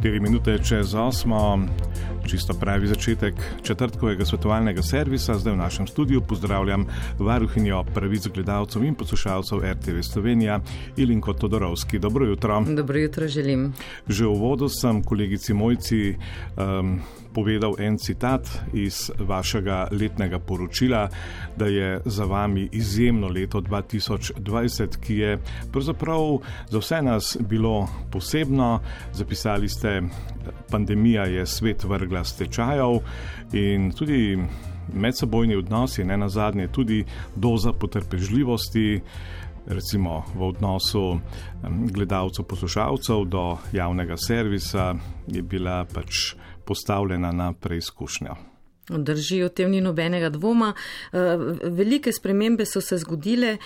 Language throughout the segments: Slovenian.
4 minute čez 8, čisto pravi začetek četrtkovega svetovalnega servisa. Zdaj v našem studiu pozdravljam varuhinjo pravic gledalcev in poslušalcev RTV Slovenija, Ilinko Todorovski. Dobro jutro. Dobro jutro želim. Že v uvodu sem kolegici Mojci povedal en citat iz vašega letnega poročila, da je za vami izjemno leto 2020, ki je pravzaprav za vse nas bilo posebno. Zapisali ste, pandemija je svet vrgla s tečajev in tudi medsebojni odnosi, ne nazadnje tudi doza potrpežljivosti, recimo v odnosu gledalcev, poslušalcev do javnega servisa, je bila pač postavljena na preizkušnjo. Drži, o tem ni nobenega dvoma. Velike spremembe so se zgodile.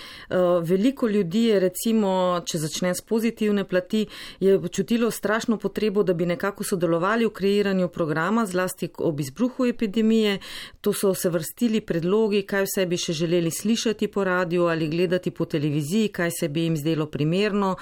Veliko ljudi je, recimo, če začne s pozitivne plati, je čutilo strašno potrebo, da bi nekako sodelovali v kreiranju programa, zlasti ob izbruhu epidemije. To so se vrstili predlogi, kaj vse bi še želeli slišati po radiju ali gledati po televiziji, kaj se bi jim zdelo primerno,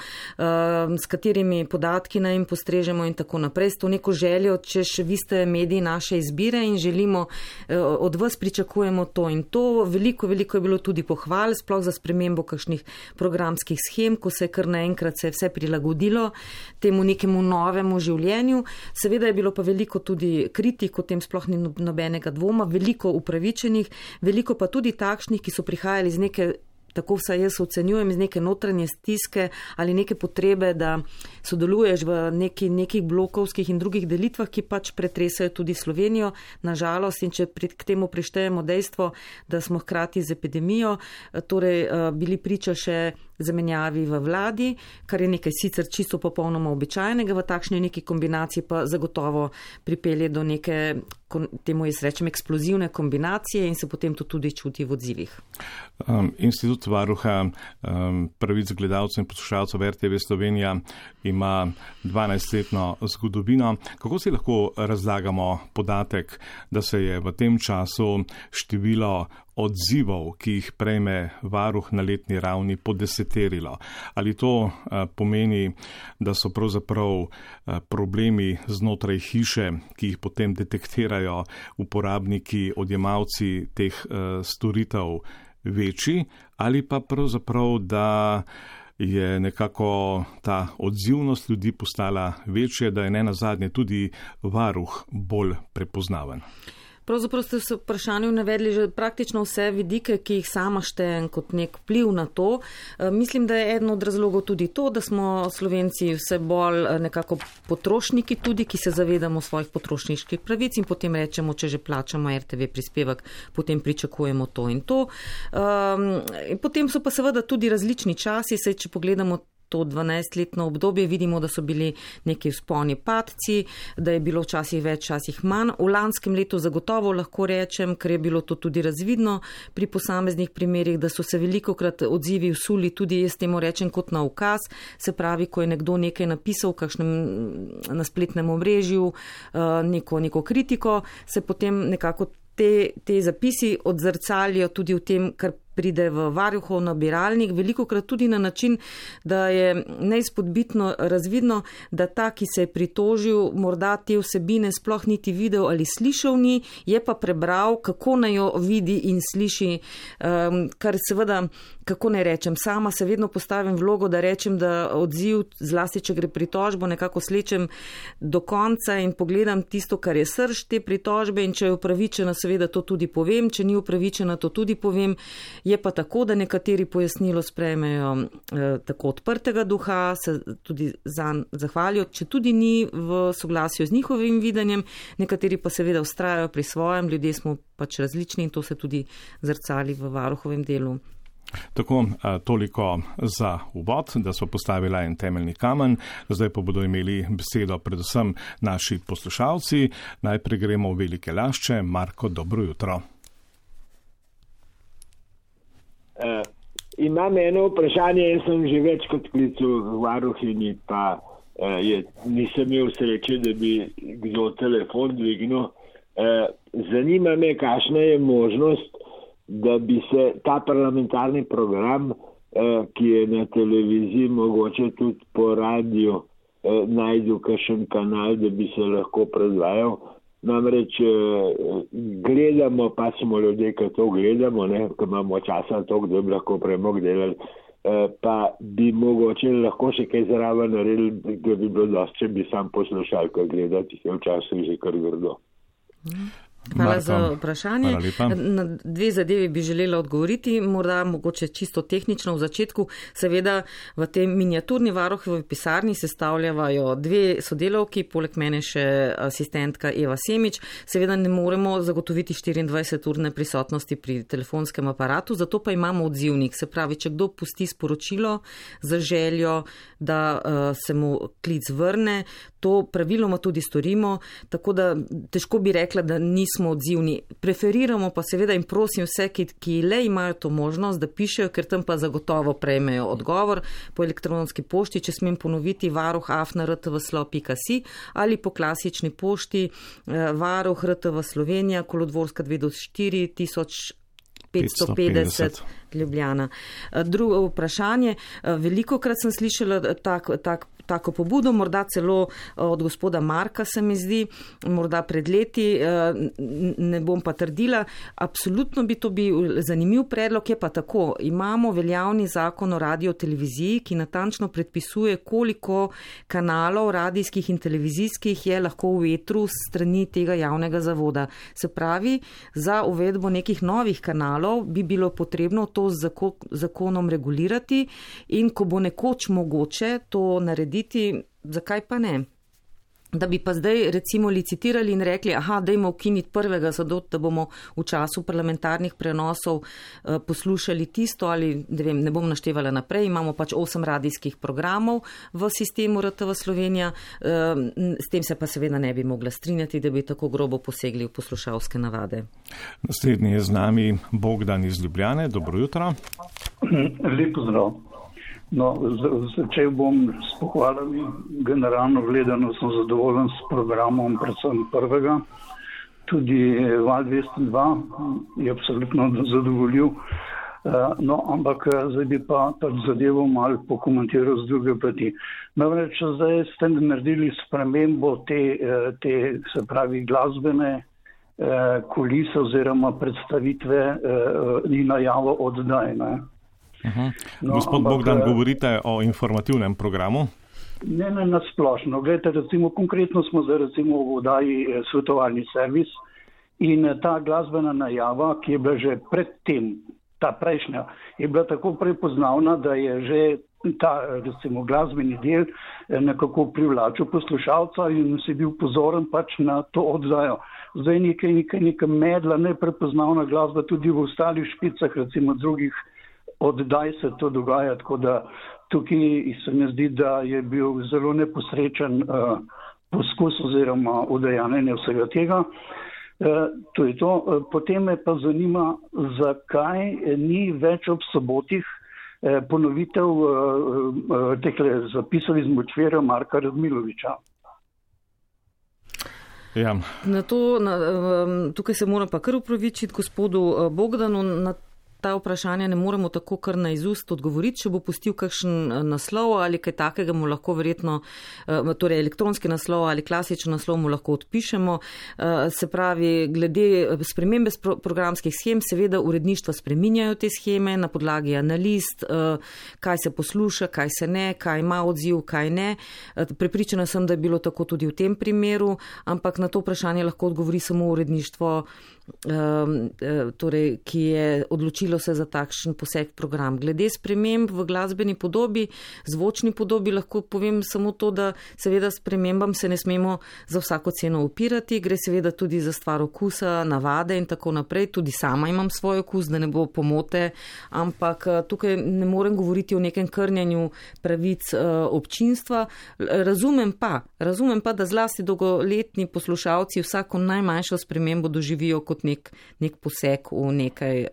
s katerimi podatki naj jim postrežemo in tako naprej. S to neko željo, češ vi ste mediji naše izbire in želimo od vas pričakujemo to in to. Veliko je bilo tudi pohval, sploh za spremembo kakšnih programskih schem, ko se je kar naenkrat se vse prilagodilo temu nekemu novemu življenju. Seveda je bilo pa veliko tudi kritik, o tem sploh ni nobenega dvoma, veliko upravičenih, veliko pa tudi takšnih, ki so prihajali z neke, tako vsaj jaz ocenjujem, iz neke notranje stiske ali neke potrebe, da sodeluješ v nekih blokovskih in drugih delitvah, ki pač pretresajo tudi Slovenijo, nažalost, in če k temu prištejemo dejstvo, da smo hkrati z epidemijo, torej bili priča še zamenjavi v vladi, kar je nekaj sicer čisto popolnoma običajnega, v takšni neki kombinaciji pa zagotovo pripelje do neke, temu jaz rečem, eksplozivne kombinacije in se potem to tudi čuti v odzivih. Institut varuha pravic gledalcev in poslušalcev RTV Slovenija ima 12-letno zgodovino. Kako si lahko razlagamo podatek, da se je v tem času število odzivov, ki jih prejme varuh na letni ravni, podeseterilo? Ali to pomeni, da so pravzaprav problemi znotraj hiše, ki jih potem detektirajo uporabniki, odjemalci teh storitev, večji, ali pa pravzaprav, da je nekako ta odzivnost ljudi postala večja, da je ne nazadnje tudi varuh bolj prepoznaven? Pravzaprav ste se v vprašanju navedli že praktično vse vidike, ki jih sama štejem kot nek vpliv na to. Mislim, da je eden od razlogov tudi to, da smo Slovenci vse bolj nekako potrošniki tudi, ki se zavedamo svojih potrošniških pravic in potem rečemo, če že plačamo RTV prispevek, potem pričakujemo to in to. In potem so pa seveda tudi različni časi, saj če pogledamo to 12-letno obdobje, vidimo, da so bili neki vzponi padci, da je bilo včasih več, včasih manj. V lanskem letu zagotovo lahko rečem, ker je bilo to tudi razvidno pri posameznih primerih, da so se velikokrat odzivi vsuli tudi, jaz temu rečem, kot na ukaz, se pravi, ko je nekdo nekaj napisal na spletnem omrežju, neko kritiko, se potem nekako te zapisi odzrcalijo tudi v tem, kar pride v varuhov nabiralnik, velikokrat tudi na način, da je neizpodbitno razvidno, da ta, ki se je pritožil, morda te vsebine sploh niti videl ali slišal ni, je pa prebral, kako naj jo vidi in sliši, kar seveda, kako naj rečem, sama se vedno postavim vlogo, da rečem, da odziv, zlasti če gre pritožbo, nekako slečem do konca in pogledam tisto, kar je srž te pritožbe, in če je upravičena, seveda to tudi povem, če ni upravičena, to tudi povem. Je pa tako, da nekateri pojasnilo sprejmejo tako odprtega duha, se tudi zanj zahvalijo, če tudi ni v soglasju z njihovim videnjem, nekateri pa seveda vztrajajo pri svojem, ljudje smo pač različni in to se tudi zrcali v varuhovem delu. Tako, toliko za uvod, da smo postavili en temeljni kamen, zdaj pa bodo imeli besedo predvsem naši poslušalci. Najprej gremo v Velike Lašče. Marko, dobro jutro. Imam eno vprašanje, jaz sem že več kot klical varuhinji, pa nisem imel sreče, da bi kdo telefon dvignil. Zanima me, kakšna je možnost, da bi se ta parlamentarni program, ki je na televiziji, mogoče tudi po radiju, najdu kakšen kanal, da bi se lahko predvajal. Namreč gledamo, pa smo ljudje, ki to gledamo, ko imamo časa toliko, da bi lahko premog delali, pa bi mogoče lahko še kaj zraven naredili, da bi bilo dosti, če bi sam poslušal, ko gledati, je včasih že kar grdo. Hvala za vprašanje. Na dve zadevi bi želela odgovoriti, morda mogoče čisto tehnično v začetku. Seveda v tem miniaturni varuhovi pisarni sestavljavajo dve sodelavki, poleg mene še asistentka Eva Semič. Seveda ne moremo zagotoviti 24-urne prisotnosti pri telefonskem aparatu, zato pa imamo odzivnik. Se pravi, če kdo pusti sporočilo za željo, da se mu klic vrne, to praviloma tudi storimo, tako da težko bi rekla, da nismo odzivni. Preferiramo pa seveda in prosim vse, ki le imajo to možnost, da pišejo, ker tam pa zagotovo prejmejo odgovor po elektronski pošti, če smem ponoviti, varuh@rtvslo.si ali po klasični pošti varuh RTV Slovenija, Kolodvorska 2/4 1550 Ljubljana. Drugo vprašanje, velikokrat sem slišala tako pobudo, morda celo od gospoda Marka se mi zdi, morda pred leti, ne bom pa trdila, absolutno bi to bil zanimiv predlog, je pa tako, imamo veljavni zakon o radioteleviziji, ki natančno predpisuje, koliko kanalov radijskih in televizijskih je lahko v etru strani tega javnega zavoda. Se pravi, za uvedbo nekih novih kanalov bi bilo potrebno to z zakonom regulirati in ko bo nekoč mogoče to narediti, zakaj pa ne? Da bi pa zdaj recimo licitirali in rekli, dajmo ukiniti prvega, zato da bomo v času parlamentarnih prenosov poslušali tisto ali, ne bom naštevala naprej, imamo pač 8 radijskih programov v sistemu RTV Slovenija, s tem se pa seveda ne bi mogla strinjati, da bi tako grobo posegli v poslušalske navade. Naslednji je z nami Bogdan iz Ljubljane, dobro jutro. Lep pozdrav. Začel bom s pohvalami. Generalno gledano sem zadovoljen s programom, predvsem prvega. Tudi Val 202 je absolutno zadovoljiv. Ampak zdaj bi pa zadevo malo pokomentiral z druge plati. Namreč zdaj ste naredili spremembo te se pravi glasbene kulise oziroma predstavitve in najavo oddaj. Gospod Bogdan, govorite o informativnem programu? Ne, nasplošno. Glejte, recimo konkretno smo zdaj recimo v oddaji svetovalni servis in ta glasbena najava, ki je bila že predtem, ta prejšnja, je bila tako prepoznavna, da je že ta recimo glasbeni del nekako privlačil poslušalca in si bil pozoren pač na to oddajo. Zdaj nekaj medla, neprepoznavna glasba tudi v ostalih špicah, recimo drugih oddaj se to dogaja, tako da tukaj se mi zdi, da je bil zelo neposrečen poskus oziroma udejanjenje vsega tega. To je to. Potem me pa zanima, zakaj ni več ob sobotih ponovitev tekle zapisov iz Močvirja Marka Radmiloviča. Ja. Tukaj se moram pa kar upravičiti gospodu Bogdanu, na ta vprašanja ne moremo tako kar na izust odgovoriti, če bo pustil kakšen naslov ali kaj takega mu lahko verjetno, torej elektronski naslov ali klasičen naslov mu lahko odpišemo. Se pravi, glede spremembe programskih schem, seveda uredništva spreminjajo te scheme na podlagi analiz, kaj se posluša, kaj se ne, kaj ima odziv, kaj ne. Prepričana sem, da je bilo tako tudi v tem primeru, ampak na to vprašanje lahko odgovori samo uredništvo, torej, ki je odločilo se za takšen poseg program. Glede sprememb v glasbeni podobi, zvočni podobi, lahko povem samo to, da seveda spremembam se ne smemo za vsako ceno upirati, gre seveda tudi za stvar okusa, navade in tako naprej. Tudi sama imam svoj okus, da ne bo pomote, ampak tukaj ne morem govoriti o nekem krnjenju pravic občinstva. Razumem pa, da zlasti dolgoletni poslušalci vsako najmanjšo spremembo doživijo kot nek poseg v nekaj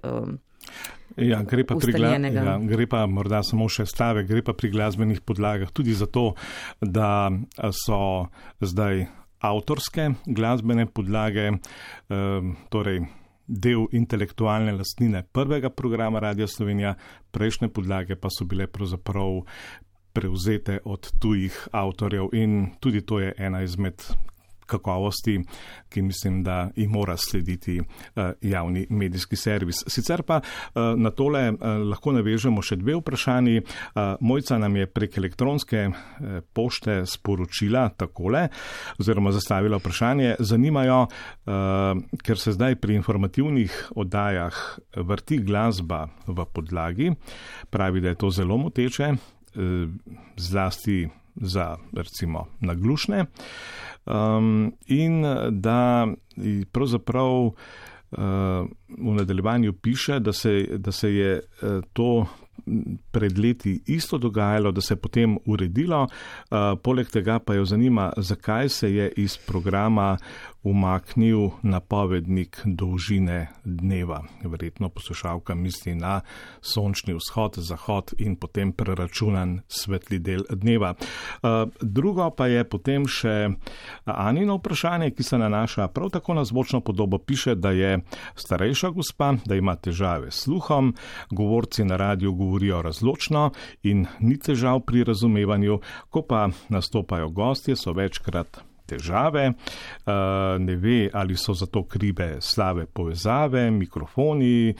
ustaljenega. Gre pa morda samo še stavek, gre pa pri glasbenih podlagah tudi zato, da so zdaj avtorske glasbene podlage, torej del intelektualne lastnine prvega programa Radia Slovenija, prejšnje podlage pa so bile pravzaprav prevzete od tujih avtorjev in tudi to je ena izmed kakovosti, ki mislim, da jih mora slediti javni medijski servis. Sicer pa na tole lahko navežemo še dve vprašanji. Mojca nam je prek elektronske pošte sporočila takole, oziroma zastavila vprašanje. Zanimajo, ker se zdaj pri informativnih oddajah vrti glasba v podlagi, pravi, da je to zelo moteče, zlasti za recimo naglušne, in da pravzaprav v nadaljevanju piše, da se je to pred leti isto dogajalo, da se je potem uredilo, poleg tega pa jo zanima, zakaj se je iz programa umaknil napovednik dolžine dneva. Verjetno poslušalka misli na sončni vzhod, zahod in potem preračunan svetli del dneva. Drugo pa je potem še Anino vprašanje, ki se nanaša prav tako na zvočno podobo. Piše, da je starejša gospa, da ima težave s sluhom, govorci na radiju govorijo razločno in ni težav pri razumevanju, ko pa nastopajo gostje, so večkrat težave, ne ve, ali so zato krive slabe povezave, mikrofoni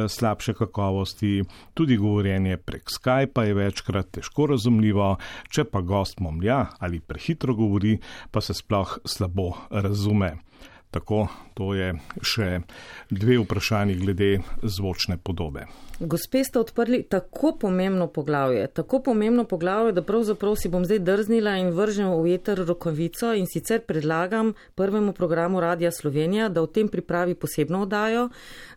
slabše kakovosti, tudi govorjenje prek Skypa je večkrat težko razumljivo, če pa gost momlja ali prehitro govori, pa se sploh slabo razume. Tako, to je še dve vprašanji glede zvočne podobe. Gospe ste odprli tako pomembno poglavje, da pravzaprav si bom zdaj drznila in vržem v eter rokavico in sicer predlagam prvemu programu Radia Slovenija, da v tem pripravi posebno oddajo,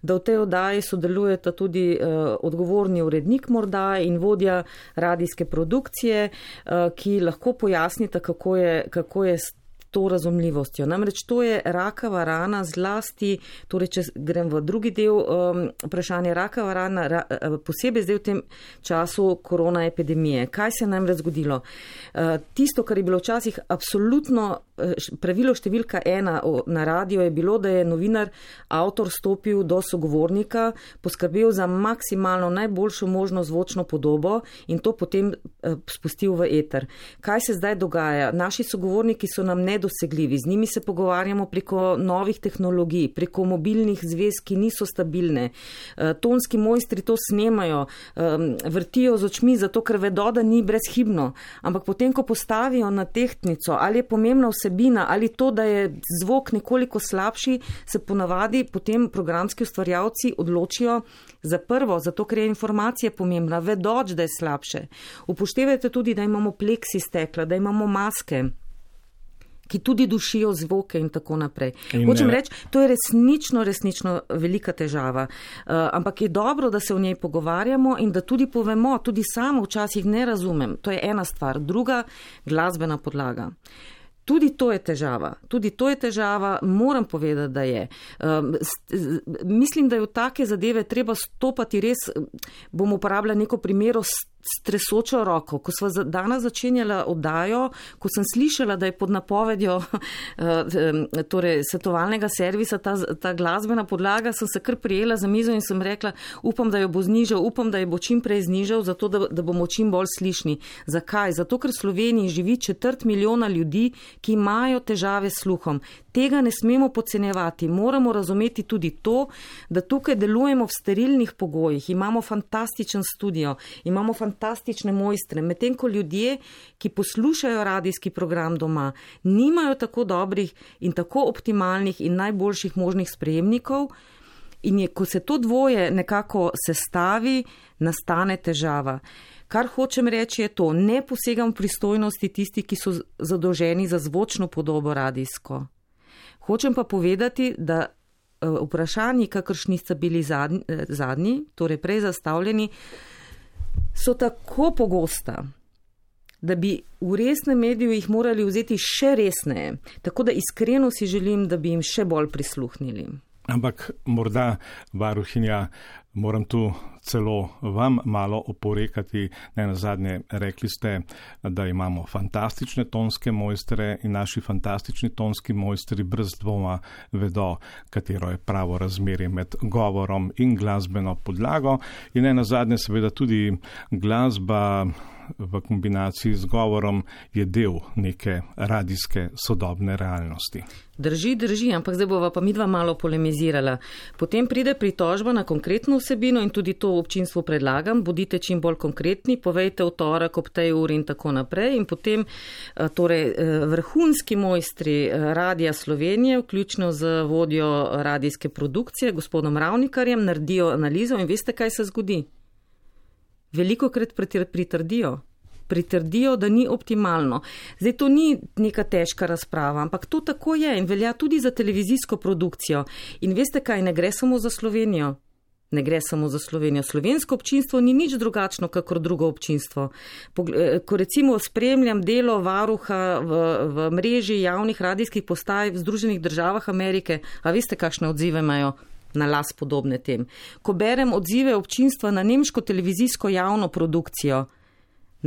da v tej oddaji sodelujeta tudi odgovorni urednik morda in vodja radijske produkcije, ki lahko pojasnita, kako je to razumljivostjo. Namreč to je rakava rana zlasti, torej če grem v drugi del vprašanja, rakava rana, posebej zdaj v tem času korona epidemije. Kaj se je namreč zgodilo? Tisto, kar je bilo včasih absolutno pravilo številka 1 na radio, je bilo, da je novinar, avtor stopil do sogovornika, poskrbel za maksimalno najboljšo možno zvočno podobo in to potem spustil v eter. Kaj se zdaj dogaja? Naši sogovorniki so nam nedosegljivi, z njimi se pogovarjamo preko novih tehnologij, preko mobilnih zvez, ki niso stabilne. Tonski mojstri to snemajo, vrtijo z očmi, zato ker vedo, da ni brezhibno. Ampak potem, ko postavijo na tehtnico, ali je pomembna vsebina, ali to, da je zvok nekoliko slabši, se ponavadi potem programski ustvarjalci odločijo za prvo, zato ker je informacija pomembna, vedoč, da je slabše. Upoštevajte tudi, da imamo pleksi stekla, da imamo maske, ki tudi dušijo zvoke in tako naprej. Hočem reči, to je resnično velika težava. Ampak je dobro, da se o njej pogovarjamo in da tudi povemo, tudi samo včasih ne razumem. To je ena stvar. Druga, glasbena podlaga. Tudi to je težava, moram povedati, da je. Mislim, da je v take zadeve treba stopati res, bom uporabljala neko primero stresočo roko. Ko sva danes začenjala oddajo, ko sem slišala, da je pod napovedjo torej svetovalnega servisa ta glasbena podlaga, sem se kar prijela za mizo in sem rekla, upam, da jo bo znižal, upam, da jo bo čim prej znižal, zato da bomo čim bolj slišni. Zakaj? Zato, ker v Sloveniji živi 250 milijona ljudi, ki imajo težave s sluhom. Tega ne smemo podcenjevati. Moramo razumeti tudi to, da tukaj delujemo v sterilnih pogojih. Imamo fantastičen studio, imamo fantastične mojstre, medtem ko ljudje, ki poslušajo radijski program doma, nimajo tako dobrih in tako optimalnih in najboljših možnih sprejemnikov. In ko se to dvoje nekako sestavi, nastane težava. Kar hočem reči je to, ne posegam v pristojnosti tisti, ki so zadolženi za zvočno podobo radijsko. Hočem pa povedati, da vprašanji, kakršni sta bili zadnji, torej prej zastavljeni, so tako pogosta, da bi v resnem mediju jih morali vzeti še resneje. Tako da iskreno si želim, da bi jim še bolj prisluhnili. Ampak morda, varuhinja, moram tu celo vam malo oporekati. Ne nazadnje rekli ste, da imamo fantastične tonske mojstre in naši fantastični tonski mojstri brez dvoma vedo, katero je pravo razmerje med govorom in glasbeno podlago. In ne nazadnje seveda tudi glasba v kombinaciji z govorom je del neke radijske sodobne realnosti. Drži, ampak zdaj bova pa midva malo polemizirala. Potem pride pritožba na konkretno vsebino in tudi to občinstvu predlagam, bodite čim bolj konkretni, povejte v torek ob tej uri in tako naprej. In potem torej vrhunski mojstri Radija Slovenije, vključno z vodjo radijske produkcije, gospodom Ravnikarjem, naredijo analizo in veste, kaj se zgodi? Velikokrat pritrdijo, da ni optimalno. Zdaj to ni neka težka razprava, ampak to tako je in velja tudi za televizijsko produkcijo. In veste kaj, ne gre samo za Slovenijo. Ne gre samo za Slovenijo. Slovensko občinstvo ni nič drugačno, kakor drugo občinstvo. Ko recimo spremljam delo varuha v mreži javnih radijskih postaj v Združenih državah Amerike, a veste, kakšne odzive imajo? Na las podobne tem. Ko berem odzive občinstva na nemško televizijsko javno produkcijo,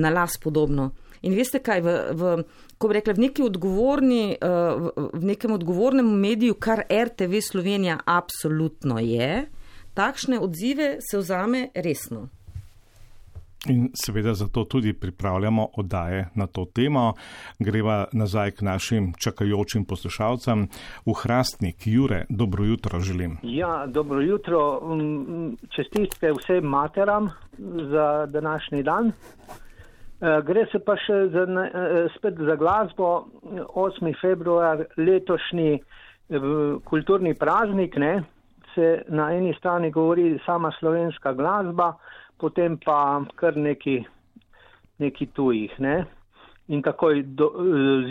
na las podobno. In veste kaj, ko bi rekla, v nekem odgovornem mediju, kar RTV Slovenija absolutno je, takšne odzive se vzame resno. In seveda zato tudi pripravljamo oddaje na to temo. Greva nazaj k našim čakajočim poslušalcem. V Hrastnik, Jure, dobro jutro želim. Ja, dobro jutro. Čestitke vsem materam za današnji dan. Gre se pa še spet za glasbo. 8. februar, letošnji kulturni praznik, ne? Se na eni strani govori sama slovenska glasba, potem pa kar neki tujih, ne? In takoj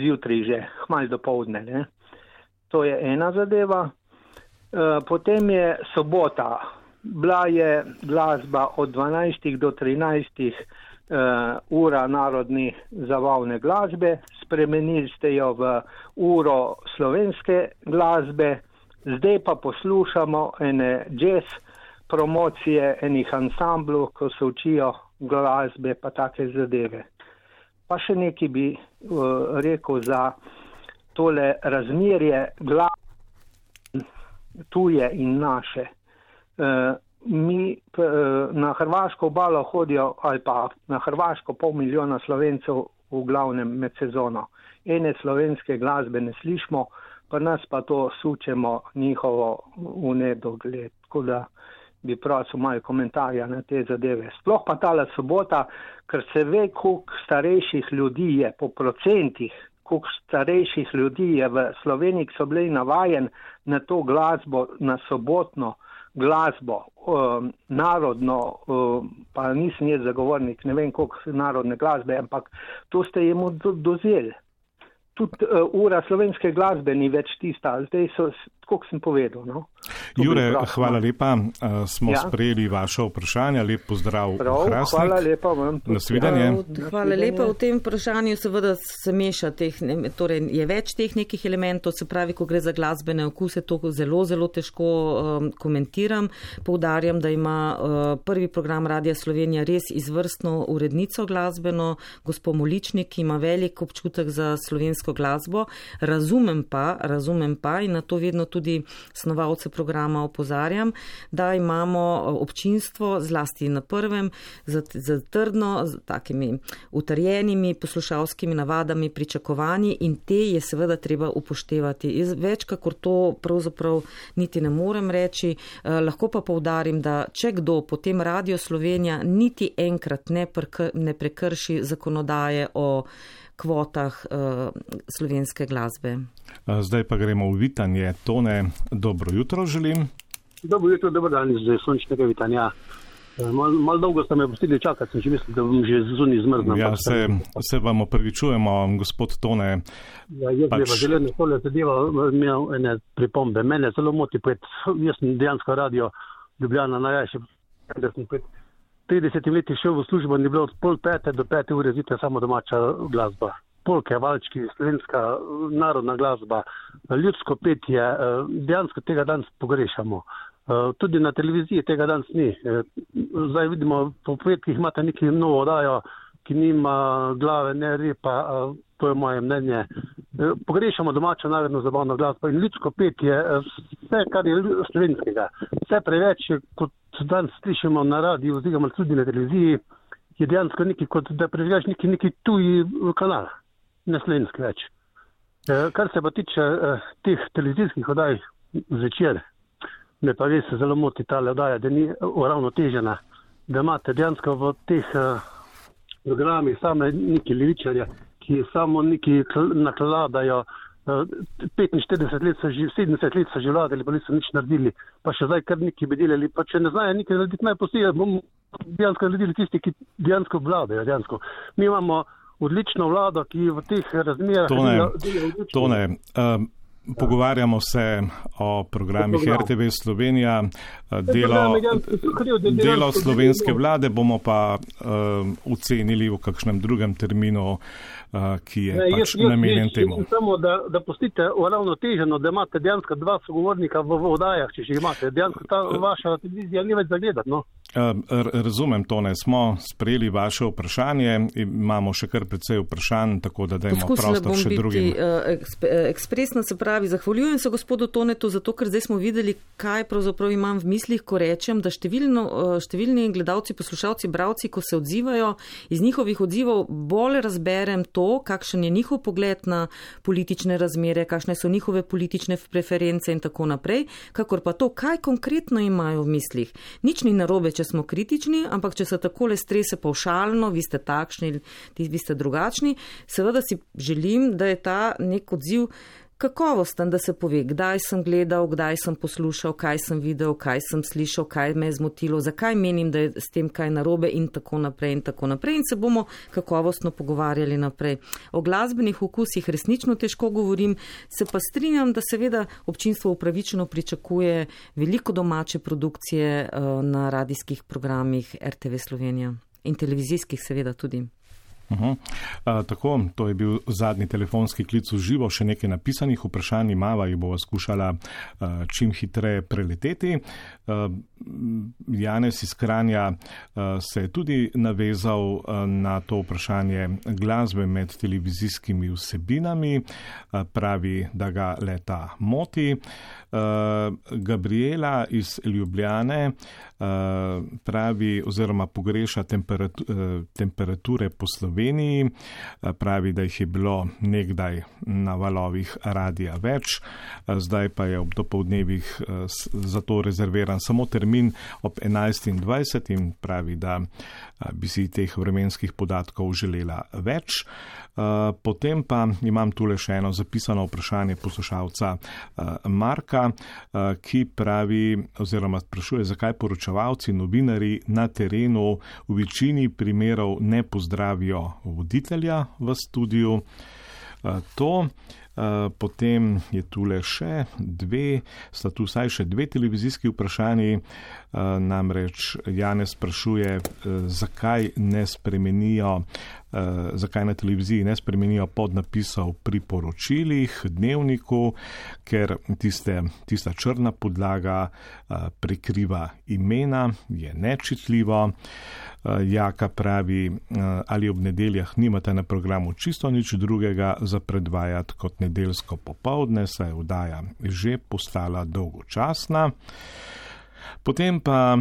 zjutraj že, hmalj do povdne, ne? To je ena zadeva. Potem je sobota. Bila je glasba od 12 do 13 ura narodni zabavne glasbe. Spremenili ste jo v uro slovenske glasbe. Zdaj pa poslušamo ene jazz promocije enih ansamblov, ko se učijo glasbe pa take zadeve. Pa še nekaj bi rekel za tole razmerje glasbe tuje in naše. Mi na hrvaško obalo hodijo, ali pa na hrvaško 500 000 Slovencev v glavnem med sezono. Ene slovenske glasbe ne slišimo, pa nas pa to sučemo njihovo v nedogled. Tako da bi prosil malo komentarja na te zadeve. Sploh pa tale sobota, ker se ve, koliko starejših ljudi je po procentih, koliko starejših ljudi je v Sloveniji, ki so bili navajen na to glasbo, na sobotno glasbo, narodno, pa nisem jaz zagovornik, ne vem koliko narodne glasbe, ampak to ste jemu dozeli. Tudi ura slovenske glasbe ni več tista, zdaj so, koliko sem povedal. No? Jure, hvala lepa, smo sprejeli vaše vprašanje, lep pozdrav v Hrastnik. Hvala lepa vam. Nasvidenje. Hvala lepa. V tem vprašanju seveda se meša torej je več teh nekih elementov, se pravi, ko gre za glasbene okuse, to zelo, zelo težko komentiram. Poudarjam, da ima prvi program Radija Slovenija res izvrstno urednico glasbeno, gospod Moličnik, ki ima velik občutek za slovensko glasbo. Razumem pa in na to vedno tudi snovalce programa opozarjam, da imamo občinstvo zlasti na prvem z trdno, z takimi utrjenimi poslušalskimi navadami, pričakovanji in te je seveda treba upoštevati. Več kakor to pravzaprav niti ne morem reči, lahko pa poudarim, da če kdo, potem Radio Slovenija niti enkrat ne prekrši zakonodaje o kvotah slovenske glasbe. Zdaj pa gremo v vitanje. Tone, dobro jutro želim. Dobro jutro, dober dan iz sončnega vitanja. Malo dolgo ste me pustili čakati, sem že mislil, da bom že zunaj zmrznil. Ja, se vam opravičujemo, gospod Tone. Ja, jaz bi vas želel na tole zadeva imel ene pripombe. Mene zelo moti pred, jaz sem dejansko radio Ljubljana najrajši, da sem pred 30 leti šel v službo in je bilo od 4:30 do 5 ure zjutraj samo domača glasba. Polke, valčki, slovenska narodna glasba, ljudsko petje, dejansko tega danes pogrešamo. Tudi na televiziji tega danes ni. Zdaj vidimo, po petkih imate neki novo oddajo, ki nima glave, ne repa, to je moje mnenje. Pogrešamo domačo narodno zabavno glasbo in ljudsko petje, vse, kar je slovenskega. Vse preveč, kot danes slišimo na radiju, oziroma tudi na televiziji, je dejansko neki, kot da preživljaš neki tuji kanal, ne slovenski več. Kar se pa tiče teh televizijskih oddaj zvečer, me pa res zelo moti ta oddaja, da ni uravnotežena, da imate dejansko v teh programih same neki levičarje, ki samo neki nakladajo, 45 let so že, 70 let so že vladali, pa niso nič naredili, pa še zdaj kar neki bi delali, pa če ne znajo nekaj narediti, naj postijo, bomo dejansko naredili tisti, ki dejansko vladajo dejansko. Mi imamo odlično vlado, ki v teh razmerah... Tone, pogovarjamo se o programih RTV Slovenija, delo slovenske vlade bomo pa ocenili v kakšnem drugem terminu, ki je pač namenjen temu. Samo, da pustite uravnoteženo, da imate dejansko dva sogovornika v oddajah, če že imate. Dejansko ta vaša televizija ni več zagledati, no? Razumem, Tone, smo sprejeli vaše vprašanje, imamo še kar precej vprašanj, tako da dajmo prostor še drugim. Ekspresno, se pravi, zahvaljujem se gospodu Tonetu, zato ker zdaj smo videli, kaj pravzaprav imam v mislih, ko rečem, da številni gledalci, poslušalci, bravci, ko se odzivajo, iz njihovih odzivov bolj razberem to, kakšen je njihov pogled na politične razmere, kakšne so njihove politične preference in tako naprej, kakor pa to, kaj konkretno imajo v mislih. Nič ni narobe, če smo kritični, ampak če se takole strese pavšalno, vi ste takšni, vi ste drugačni, seveda si želim, da je ta nek odziv kakovosten, da se pove, kdaj sem gledal, kdaj sem poslušal, kaj sem videl, kaj sem slišal, kaj me je zmotilo, zakaj menim, da je s tem kaj narobe in tako naprej in se bomo kakovostno pogovarjali naprej. O glasbenih okusih resnično težko govorim, se pa strinjam, da seveda občinstvo upravičeno pričakuje veliko domače produkcije na radijskih programih RTV Slovenija in televizijskih seveda tudi. Tako, to je bil zadnji telefonski klic v živo, še nekaj napisanih vprašanj imava, jih bova skušala čim hitreje preleteti. Janez iz Kranja se je tudi navezal na to vprašanje glasbe med televizijskimi vsebinami, pravi, da ga le-ta moti. Gabriela iz Ljubljane pravi oziroma pogreša temperature po Sloveniji, pravi, da jih je bilo nekdaj na valovih radija več, zdaj pa je ob dopoldnevih za to rezerviran samo termin ob 11:20 in pravi, da bi si teh vremenskih podatkov želela več. Potem pa imam tule še eno zapisano vprašanje poslušalca Marka, ki pravi oziroma sprašuje, zakaj poročevalci, novinari na terenu v večini primerov ne pozdravijo voditelja v studiu. Potem je tule še sta tu vsaj še dve televizijski vprašanji, namreč Janez sprašuje, zakaj na televiziji ne spremenijo podnapisov pri poročilih, dnevniku, ker tista črna podlaga prekriva imena, je nečitljivo. Jaka pravi, ali ob nedeljah nimate na programu čisto nič drugega za predvajati kot nedeljsko popoldne, saj je oddaja že postala dolgočasna. Potem pa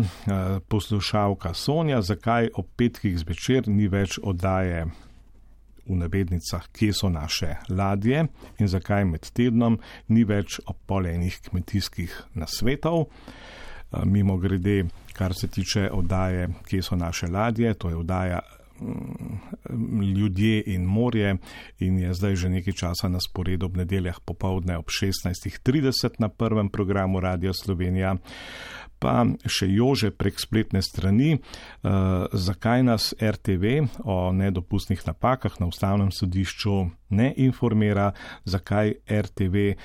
poslušalka Sonja, zakaj ob petkih zvečer ni več oddaje v navednicah, kje so naše ladje in zakaj med tednom ni več ob pol enih kmetijskih nasvetov. Mimo grede, kar se tiče oddaje, kje so naše ladje, to je oddaja Ljudje in morje in je zdaj že nekaj časa na sporedu ob nedeljah popoldne ob 16:30 na prvem programu Radia Slovenija. Pa še Jože prek spletne strani, zakaj nas RTV o nedopustnih napakah na Ustavnem sodišču ne informira, zakaj RTV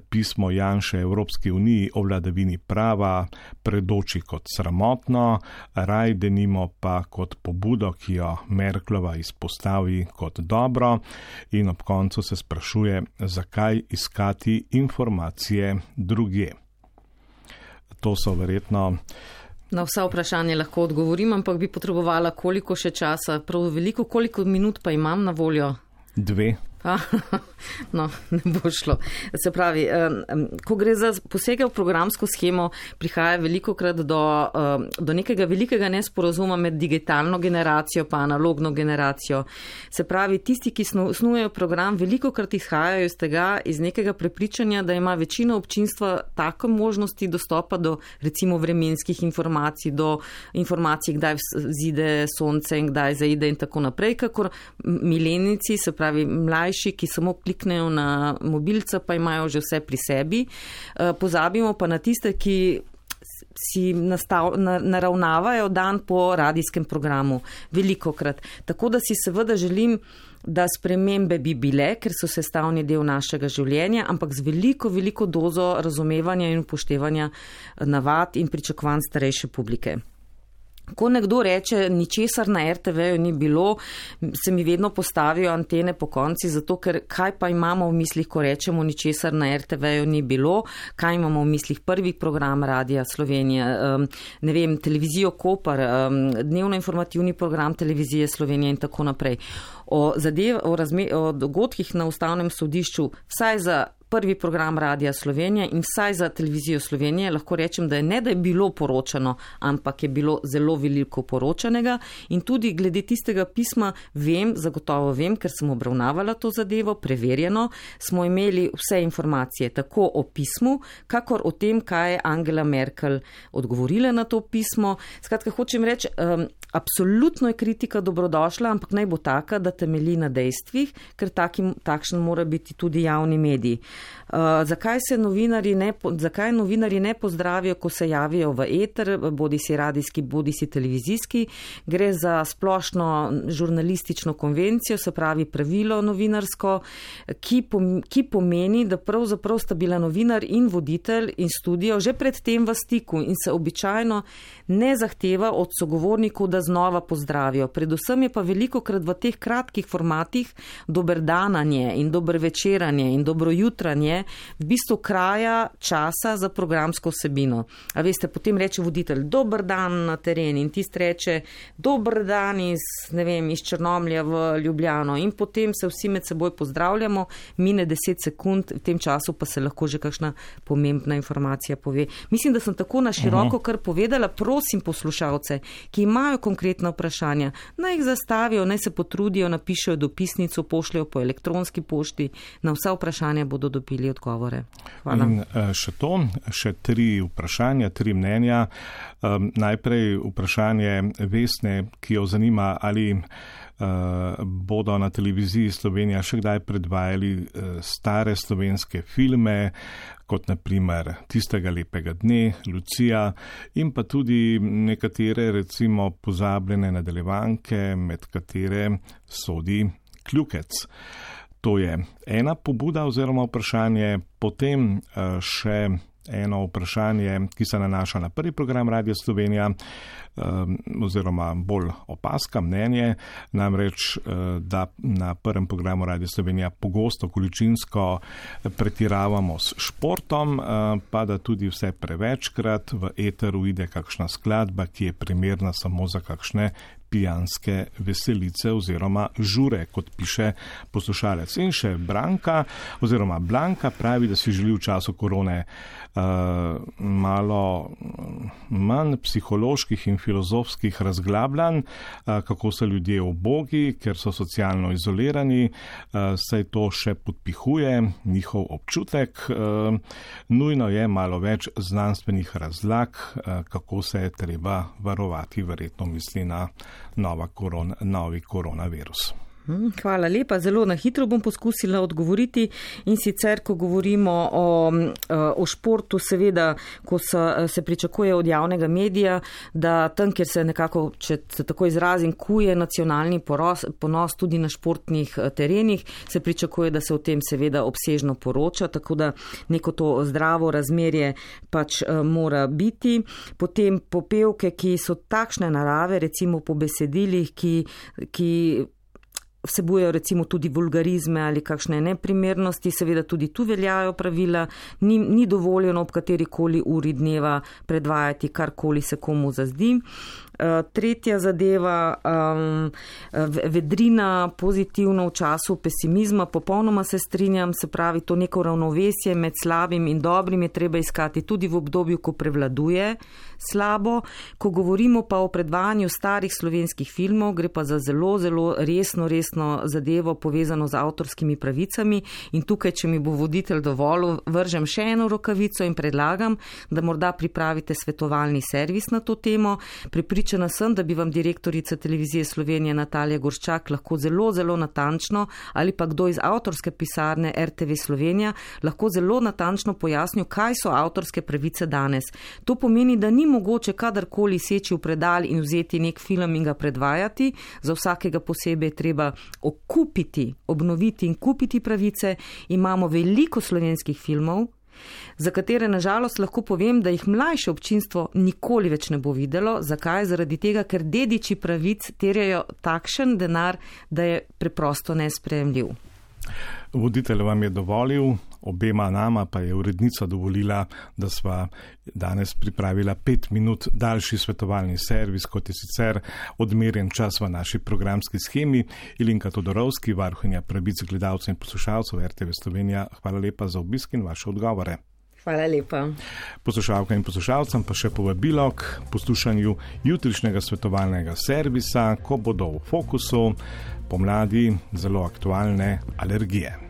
pismo Janše Evropski uniji o vladavini prava predoči kot sramotno, raj denimo pa kot pobudo, ki jo Merklova izpostavi kot dobro, in ob koncu se sprašuje, zakaj iskati informacije drugje. To so verjetno. Na vsa vprašanja lahko odgovorim, ampak bi potrebovala koliko še časa, prav veliko, koliko minut pa imam na voljo? 2. No, ne bo šlo. Se pravi, ko gre za posege v programsko schemo, prihaja velikokrat do nekega velikega nesporazuma med digitalno generacijo pa analogno generacijo. Se pravi, tisti, ki snujejo program, velikokrat izhajajo iz tega, iz nekega prepričanja, da ima večina občinstva take možnosti dostopa do recimo vremenskih informacij, do informacij, kdaj zide sonce in kdaj zaide in tako naprej, kakor milenici, se pravi mlajši, ki samo kliknejo na mobilca, pa imajo že vse pri sebi. Pozabimo pa na tiste, ki si naravnavajo dan po radijskem programu. Velikokrat. Tako da si seveda želim, da spremembe bi bile, ker so sestavni del našega življenja, ampak z veliko, veliko dozo razumevanja in upoštevanja navad in pričakovanj starejše publike. Ko nekdo reče, ničesar na RTV-ju ni bilo, se mi vedno postavijo antene po konci, zato ker kaj pa imamo v mislih, ko rečemo, ničesar na RTV-ju ni bilo, kaj imamo v mislih, prvi program Radija Slovenija, ne vem, televizijo Koper, dnevno informativni program televizije Slovenije in tako naprej. O dogodkih na Ustavnem sodišču, vsaj za prvi program Radija Slovenije in vsaj za televizijo Slovenije, lahko rečem, da je bilo poročano, ampak je bilo zelo veliko poročanega in tudi glede tistega pisma zagotovo vem, ker sem obravnavala to zadevo, preverjeno, smo imeli vse informacije tako o pismu, kakor o tem, kaj je Angela Merkel odgovorila na to pismo. Skratka, hočem reči, absolutno je kritika dobrodošla, ampak naj bo taka, da temelji na dejstvih, ker takšen mora biti tudi javni medij. Zakaj novinarji ne pozdravijo, ko se javijo v eter, bodi si radijski, bodi si televizijski? Gre za splošno žurnalistično konvencijo, se pravi pravilo novinarsko, ki pomeni, da pravzaprav sta bila novinar in voditelj in studio že predtem v stiku in se običajno ne zahteva od sogovornikov, da znova pozdravijo. Predvsem je pa velikokrat v teh kratkih formatih doberdananje in dobrovečeranje in dobrojutranje v bistvu kraja časa za programsko vsebino. A veste, potem reče voditelj, dober dan na teren in tist reče, dober dan iz Črnomlja v Ljubljano in potem se vsi med seboj pozdravljamo, mine 10 sekund, v tem času pa se lahko že kakšna pomembna informacija pove. Mislim, da sem tako na široko kar povedala, prosim poslušalce, ki imajo konkretna vprašanja, naj jih zastavijo, naj se potrudijo, napišejo dopisnico, pošljajo po elektronski pošti, na vsa vprašanja bodo dobili odgovore. Hvala. In še 3 vprašanja, 3 mnenja. Najprej vprašanje Vesne, ki jo zanima, ali bodo na televiziji Slovenija še kdaj predvajali stare slovenske filme, kot naprimer Tistega lepega dne, Lucija, in pa tudi nekatere recimo pozabljene nadaljevanke, med katere sodi Kljukec. To je ena pobuda oziroma vprašanje, potem še eno vprašanje, ki se nanaša na prvi program Radija Slovenija, oziroma bolj opaska, mnenje, namreč, da na prvem programu Radija Slovenija pogosto količinsko pretiravamo s športom, pa da tudi vse prevečkrat v eteru ide kakšna skladba, ki je primerna samo za kakšne pijanske veselice oziroma žure, kot piše poslušalec. In še Blanka pravi, da si želi v času korone malo manj psiholoških in filozofskih razglabljanj, kako so ljudje ubogi, ker so socialno izolirani, saj to še podpihuje njihov občutek. Nujno je malo več znanstvenih razlag, kako se je treba varovati, verjetno misli na novi koronavirus. Hvala lepa. Zelo na hitro bom poskusila odgovoriti in sicer, ko govorimo o športu, seveda, ko se pričakuje od javnega medija, da tam, kjer se nekako, če se tako izrazim, kuje nacionalni ponos tudi na športnih terenih, se pričakuje, da se o tem seveda obsežno poroča, tako da neko to zdravo razmerje pač mora biti. Potem popevke, ki so takšne narave, recimo po besedilih, ki vsebujejo recimo tudi vulgarizme ali kakšne neprimernosti, seveda tudi tu veljajo pravila, ni dovoljeno ob katerikoli uri dneva predvajati karkoli se komu zazdi. Tretja zadeva, vedrina pozitivno v času pesimizma, popolnoma se strinjam, se pravi, to neko ravnovesje med slabim in dobrim je treba iskati tudi v obdobju, ko prevladuje slabo. Ko govorimo pa o predvajanju starih slovenskih filmov, gre pa za zelo, zelo resno zadevo povezano z avtorskimi pravicami in tukaj, če mi bo voditelj dovolil, vržem še eno rokavico in predlagam, da morda pripravite svetovalni servis na to temo. Pripričana sem, da bi vam direktorica Televizije Slovenije Natalija Gorščak lahko zelo, zelo natančno ali pa kdo iz avtorske pisarne RTV Slovenija lahko zelo natančno pojasnil, kaj so avtorske pravice danes. To pomeni, da ni mogoče kadarkoli seči v predal in vzeti nek film in ga predvajati. Za vsakega posebej je treba okupiti, obnoviti in kupiti pravice. Imamo veliko slovenskih filmov, za katere nažalost lahko povem, da jih mlajše občinstvo nikoli več ne bo videlo. Zakaj? Zaradi tega, ker dediči pravic terjajo takšen denar, da je preprosto nesprejemljiv. Voditelj vam je dovolil, obema nama pa je urednica dovolila, da sva danes pripravila 5 minut daljši svetovalni servis, kot je sicer odmerjen čas v naši programski schemi. Ilinka Todorovski, varuhinja pravic gledalcev in poslušalcev RTV Slovenija, hvala lepa za obisk in vaše odgovore. Hvala lepa. Poslušalkam in poslušalcem pa še povabilo k poslušanju jutrišnjega svetovalnega servisa, ko bodo v fokusu pomladi zelo aktualne alergije.